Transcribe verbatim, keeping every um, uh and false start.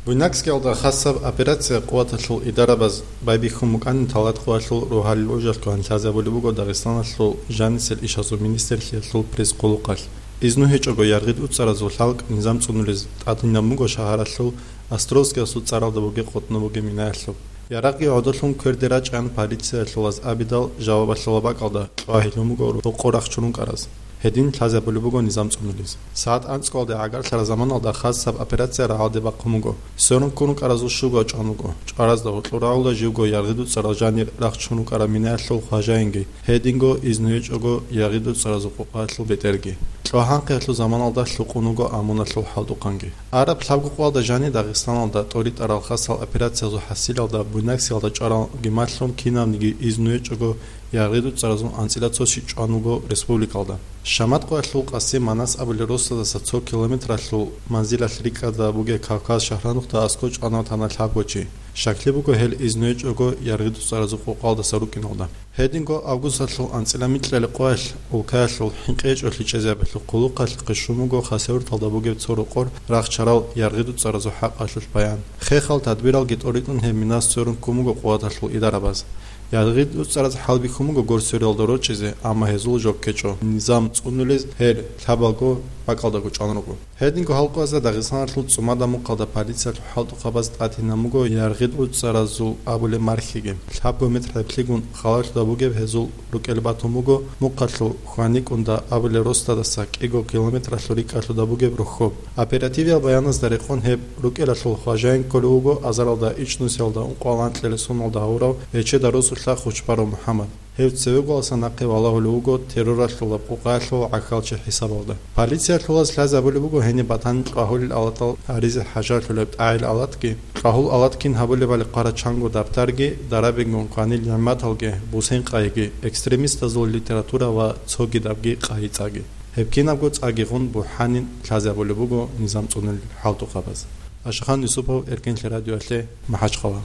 Буйнакскиялда хасаб операция къуваталъул идарабаз байбихьун букӀанин талатӀкъоялъул рогьалил гӀужалъго гьанлъазабулеб буго Дагъистаналъул жанисел ишазул министрлъиялъул пресс-къулухъалъ. Изну гьечӀого яргъид уцӀаразул хӀалкӀ низам цӀунулез тӀадинаб буго шагьаралъул Островскиялъул цӀаралда бугеб къотӀнаб бугеб минаялъуб. Ярагъги гӀодолъун кверде рачӀан полициялъулаз абидал жавабалъула бакӀалда кьвагьилун буго рокъор рахчун рукӀараз. Гьедин лъазабулеб буго низам цӀунулез. СагӀат анцӀкӀалде гӀагарлъараб заманалда хасаб операция рагӀалде бахъун буго. Сверун ккун рукӀаразул щуго чӀван вуго. ЧӀваразда гьоркьор рагӀула живго яргъид уцӀарал жанир рахчун рукӀараб минаялъул хважаинги, гьединго изну гьечӀого яргъид уцӀаразул къокъаялъул бетӀерги. Кьвагьанхъиялъул заманалда лъукъун вуго Амуналъул хӀалтӀухъанги. Араб лъабго къоялда жанир Дагъистаналда тӀоритӀарал хасал операциязул хӀасилалда Буйнакскиялда чӀваралги малъун кинабниги изну гьечӀого яргъид уцӀаразул анцӀила цо щий чӀван вуго республикалда. Шаматкъоялъул Къасим Манас абулеб росдаса цо километралъул манзилалъ рикӀкӀада бугеб Кавказ шагьранухъда аскӀов чӀванав тана лъабго чи. Щаклъи буго гьел изну гьечӀого яргъид уцӀаразул къокъалдаса рукӀиналда. Гьединго августалъул анцӀила микьалъ къоялъ улкаялъул хӀинкъи гьечӀолъи чӀезабиялъул хъулухъалъ хъишун буго Хасавюрталда бугеб цо рокъор рахчарал яргъид уцӀаразул хӀакъалъулъ баян. Хехал тадбиралги тӀоритӀун гьеб минас сверун ккун буго къуваталъул идарабаз. Яргъид уцӀараз хӀалбихьун буго гор свериялда рорчӀизе, амма гьезул жо ккечӀо. Низам цӀунулез гьел лъабалго бакӀалдаго чӀван руго. Гьединго гьал къоязда Дагъистаналъул ЦӀумада Мухъалда полициялъул хӀалтӀухъабаз тӀадинаб буго яргъид уцӀаразул абулеб мархиги. Лъабго метр гӀеблъигун халалъуда бугеб гьезул рукӀел батун буго Мухъалъул ХьваникӀунда абулеб росдаса кӀиго километралъул рикӀкӀалъуда бугеб рохьоб. Оперативиял баяназда рекъон гьеб рукӀелалъул хважаин кколев вуго азаралда ичӀнусиялда ункъоялда анкьабилеб соналда гьавурав Эчедал росулъа Хучбаров МухӀаммад. Гьев цевегоялдаса нахъе валагьулев вуго терроралъул къокъаялъул гӀахьалчи хӀисабалда. Полициялъулаз лъазабулеб буго гьениб батани кьвагьулел алатал гьаризе хӀажалъулеб тӀагӀел алатги, кьвагьул алат кин гьабулебали хъвараб чанго даптарги, дарабигун кванил нигӀматалги, бусен къайги, экстремистазул литература ва цогидабги къайи-цӀаги. Гьеб кинабго цӀаги гъун бухӀанин лъазабулеб буго низам цӀунулел хӀалтӀухъабаз. Ашахан Юсупов, Эркенлъи радиоялъе, МахӀачхъала.